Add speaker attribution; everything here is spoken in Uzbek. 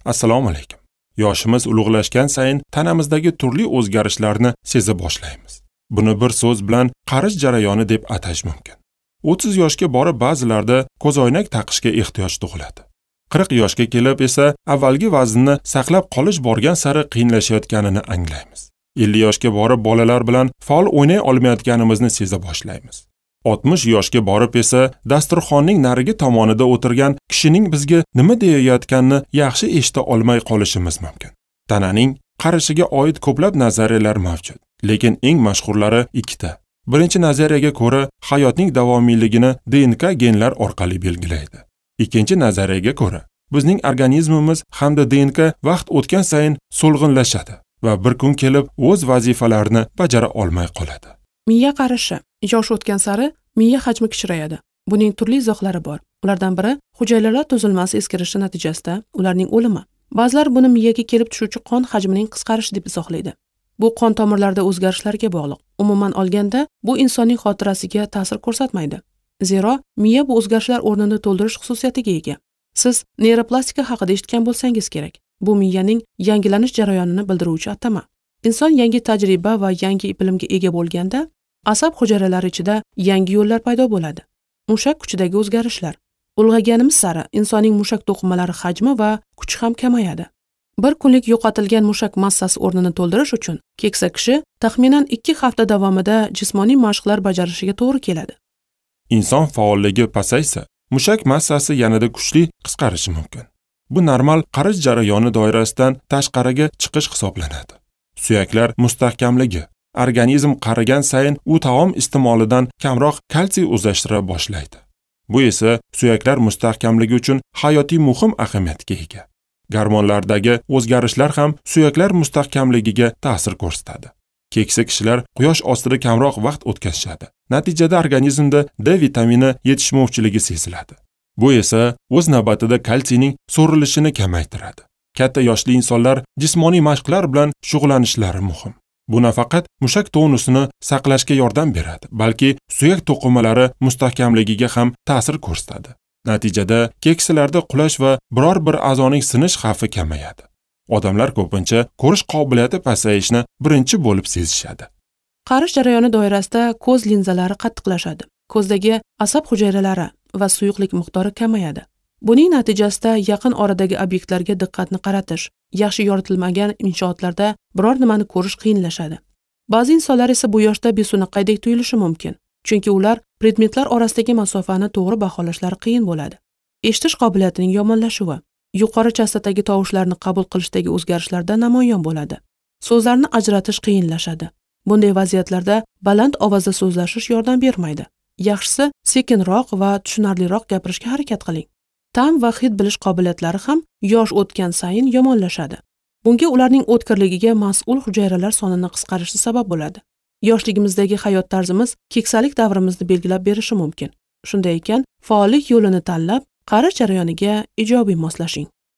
Speaker 1: Assalomu alaykum. Yoshimiz ulug'lashgan sayin tanamizdagi turli o'zgarishlarni seza boshlaymiz. Buni bir so'z bilan qarish jarayoni deb atash mumkin. 30 yoshga borib ba'zilarda ko'zoynak taqishga ehtiyoj tug'iladi. 40 yoshga kelib esa avvalgi vaznni saqlab qolish borgan sari qiyinlashayotganini anglaymiz. 50 yoshga borib bolalar bilan faol o'ynay olmayotganimizni seza boshlaymiz. 60 yoshga borib esa dasturxonning narigi tomonida o'tirgan kishining bizga nima deyayotganini yaxshi eshita olmay qolishimiz mumkin. Tananing qarishiga oid ko'plab nazariyalar mavjud, lekin eng mashhurlari ikkita. Birinchi nazariyaga ko'ra, hayotning davomiyligini DNK genlar orqali belgilaydi. Ikkinchi nazariyaga ko'ra, bizning organizmimiz hamda DNK vaqt o'tgan sayin so'lg'inlashadi va bir kun kelib o'z vazifalarini bajara olmay qoladi.
Speaker 2: Miya qarishi. Yosh o'tgan sari miya hajmi kichrayadi. Buning turli izohlari bor. Ulardan biri hujayralar tuzilmasi eskirishi natijasida ularning o'limi. Ba'zilar buni miyaga kelib tushuvchi qon hajmining qisqarishi deb izohlaydi. Bu qon tomirlarida o'zgarishlarga bog'liq. Umuman olganda, bu insonning xotirasiga ta'sir ko'rsatmaydi. Zero miya bu o'zgarishlar o'rnini to'ldirish xususiyatiga ega. Siz neyroplastika haqida eshitgan bo'lsangiz kerak. Bu miyaning yangilanish jarayonini bildiruvchi atama. Inson yangi tajriba va yangi bilimga ega bo'lganda, asab hujayralari ichida yangi yo'llar paydo bo'ladi. Mushak kuchidagi o'zgarishlar. Ulg'ayganimiz sari insonning mushak to'qimalari hajmi va kuchi ham kamayadi. Bir kunlik yo'qotilgan mushak massasi o'rnini to'ldirish uchun keksa kishi taxminan 2 hafta davomida jismoniy mashqlar bajarishiga to'g'ri keladi.
Speaker 1: Inson faolligi pasaysa, mushak massasi yanada kuchli qisqarishi mumkin. Bu normal qarish jarayoni doirasidan tashqariga chiqish hisoblanadi. Suyaklar mustahkamligi. Organizm qarigan sayin u taom iste'molidan kamroq kalsiy o'zlashtira boshlaydi. Bu esa suyaklar mustahkamligi uchun hayotiy muhim ahamiyatga ega. Gormonlardagi o'zgarishlar ham suyaklar mustahkamligiga ta'sir ko'rsatadi. Keksa kishilar quyosh ostida kamroq vaqt o'tkazishadi. Natijada organizmda D vitamini yetishmovchiligi seziladi. Bu esa o'z navbatida kalsiyning so'rilishini kamaytiradi. Katta yoshli insonlar jismoniy mashqlar bilan shug'ullanishlari muhim. Bu nafaqat mushak tonusini saqlashga yordam beradi, balki suyak to'qimalari mustahkamligiga ham ta'sir ko'rsatadi. Natijada keksalarda qulash va biror bir a'zoning sinish xavfi kamayadi. Odamlar ko'pincha ko'rish qobiliyati pasayishini birinchi bo'lib sezishadi.
Speaker 2: Qarish jarayoni doirasida ko'z linzalari qattiqlashadi. Ko'zdagi asab hujayralari va suyuqlik miqdori kamayadi. Buning natijasida yaqin oradagi obyektlarga diqqatni qaratish, yaxshi yoritilmagan inshootlarda biror nimani ko'rish qiyinlashadi. Ba'zi insonlar esa bu yoshda besunaqaydek tuyulishi mumkin, chunki ular predmetlar orasidagi masofani to'g'ri baholashlari qiyin bo'ladi. Eshitish qobiliyatining yomonlashuvi, yuqori chastotadagi tovushlarni qabul qilishdagi o'zgarishlarda namoyon bo'ladi. So'zlarni ajratish qiyinlashadi. Bunday vaziyatlarda baland ovozda so'zlashish yordam bermaydi. Yaxshisi sekinroq va tushunarliroq gapirishga harakat qiling. Ta'm va hid bilish qobiliyatlari ham yosh o'tgan sayin yomonlashadi. Bunga ularning o'tkirligiga mas'ul hujayralar sonini qisqarishi sabab bo'ladi. Yoshligimizdagi hayot tarzimiz keksalik davrimizni belgilab berishi mumkin. Shunday ekan, faollik yo'lini tanlab, qarish jarayoniga ijobiy moslashing.